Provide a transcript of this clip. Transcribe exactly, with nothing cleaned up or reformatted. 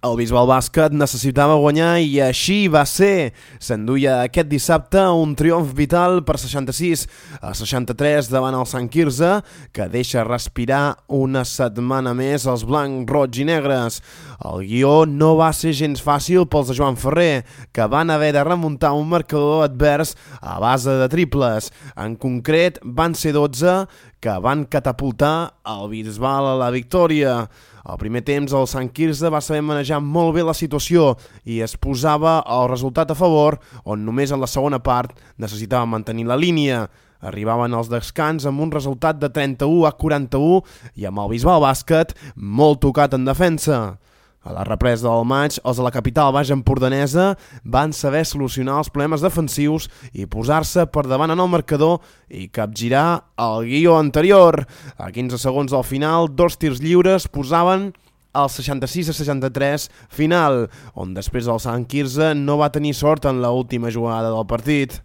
El Bisbal Bàsquet necessitava guanyar i així va ser. S'enduia aquest dissabte un triomf vital per seixanta-sis a seixanta-tres davant el Sant Quirze, que deixa respirar una setmana més els blancs, roig i negres. El guió no va ser gens fàcil pels de Joan Ferrer, que van haver de remuntar un marcador advers a base de triples. En concret, van ser dotze que van catapultar el Bisbal a la victòria. Al primer temps, el Sant Quirze va saber manejar molt bé la situació i es posava el resultat a favor, on només en la segona part necessitava mantenir la línia. Arribaven els descans amb un resultat de trenta-u a quaranta-u i amb el Bisbal Bàsquet molt tocat en defensa. A la represa del maig, els de la capital baix empordanesa van saber solucionar els problemes defensius i posar-se per davant en el marcador i capgirar el guió anterior. A quinze segons del final, dos tirs lliures posaven el seixanta-sis a seixanta-tres final, on després el Sant Quirze no va tenir sort en l'última jugada del partit.